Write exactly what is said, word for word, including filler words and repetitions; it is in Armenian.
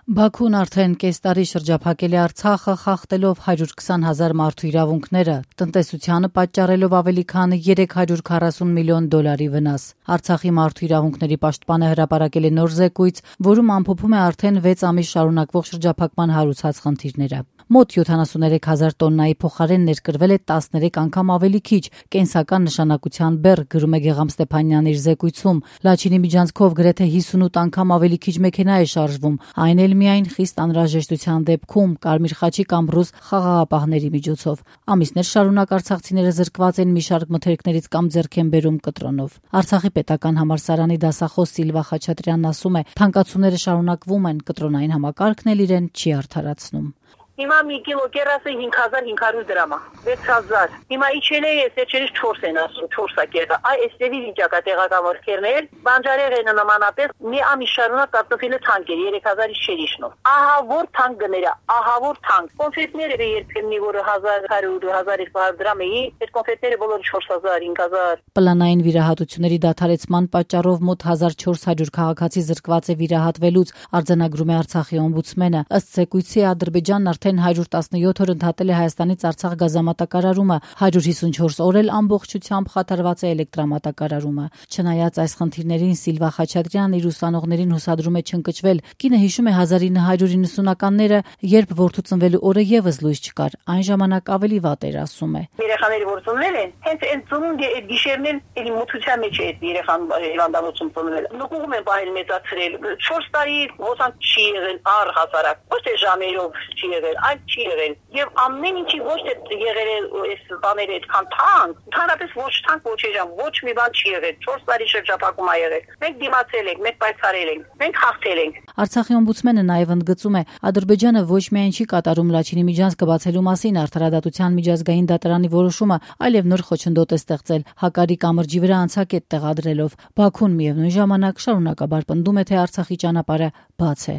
Բաքուն արդեն կես տարի շրջափակել է Արցախը, խախտելով հարյուր քսան հազար մարդու իրավունքները, տնտեսությանը պատճառելով ավելի քան երեք հարյուր քառասուն միլիոն դոլարի վնաս։ Արցախի մարդու իրավունքների պաշտպանը հրապարակել է նոր զեկույց, որում ամփոփում է արդեն վեց ամիս շարունակվող շրջափակման հարուցած խնդիրները։ Մոտ յոթանասուններեք հազար տոննայի փոխարեն ներկրվել է տասներեք անգամ ավելի քիչ կենսական նշանակության բեռ, գրում է Գեգամ Ստեփանյանն իր զեկույցում։ Լաչինի միջանցքով գրեթե հիսունութ անգամ ավելի քիչ մեքենա է շարժվում, այն էլ միայն խիստ անհրաժեշտության դեպքում, Կարմիր խաչի կամ ռուս խաղաղապահների միջոցով։ Ամիսներ շարունակ արցախցիները զրկված են մի շարք մթերքներից կամ ձեռք են բերում կտրոնով։ Արցախի պետական համալսարանի դասախոս Սիլվա Խաչատրյանն ասում է, թանկացումները շարունակվում են, կտրոնային համակարգն էլ իրեն չի արդարացնում։ Հիմա մի կիլո կերասը հինգ հազար հինգ հարյուր դրամ է, վեց հազար։ Հիմա իջել է, երջերից չորս են ասում, չորս է կերա։ Այ էստևի վիճակա տեղական ворքերներ, բանջարեղենը նմանապես մի ամիս շարունակ կարտոֆիլը թանկ էր, երեք հազարից չէր իջնում։ Ահա որ թանկ գները, ահա որ թանկ։ Կոնֆետները երբեմնի որը հազար հարյուր, հազար երկու հարյուր դրամ էի, այդ կոնֆետները բոլորը չորս հազար, հինգ հազար։ Պլանային վիրահատությունների դադարեցման պատճառով մոտ հազար չորս հարյուր քաղաքացի զրկված է վիրահատվելուց, արձանագրում է Արցախի օմբուդսմենը։ Ըստ զեկույցի Ադրբեջանն արդեն հարյուր տասնյոթ օր ընդհատել է Հայաստանից Արցախ գազամատակարարումը, հարյուր հիսունչորս օր էլ ամբողջությամբ խաթարված է էլեկտրամատակարարումը։ Չնայած այս խնդիրներին Սիլվա Խաչատրյանն իր ուսանողներին հուսադրում է չընկճվել։ Կինը հիշում է հազար ինը հարյուր իննսունականները, երբ որդու ծնվելու օրը եւս լույս չկար, այն ժամանակ ավելի վատ էր, ասում է։ Երեխաները որ ծնվել են, հենց այդ ծնունդի այդ գիշերն էլ մութության մեջ է այդ երեխան հիվանդանոցում ծնվել։ Նկուղում են բայել մեծացրել։ չորս տարի ոսանք չի եղել առհասարակ։ Ոչ թե ժամերով չի եղել, այլ չի եղել։ Եվ ամեն ինչի ոչ թե եղել է այս բաները այդքան թանկ, ընդհանրապես ոչ թանկ, ոչ էժան, ոչ մի բան չի եղել։ չորս տարի շրջափակում ա եղել։ Մենք դիմացել ենք, մենք պայքարել ենք, մենք հաղթել ենք։ Արցախի օմբուդսմենը նաև ընդգծում է, Ադրբեջանը ոչ միայն չի կատարում Լաչինի միջանցքը բացելու մասին արդարադատության միջազգային դատարանի որոշումը, այլև նոր խոչընդոտ է ստեղծել Հակարի կամրջի վրա անցակետ տեղադրելով։ Բաքուն միևնույն ժամանակ շարունակաբար պնդում է, թե Արցախի ճանապարհը բաց է։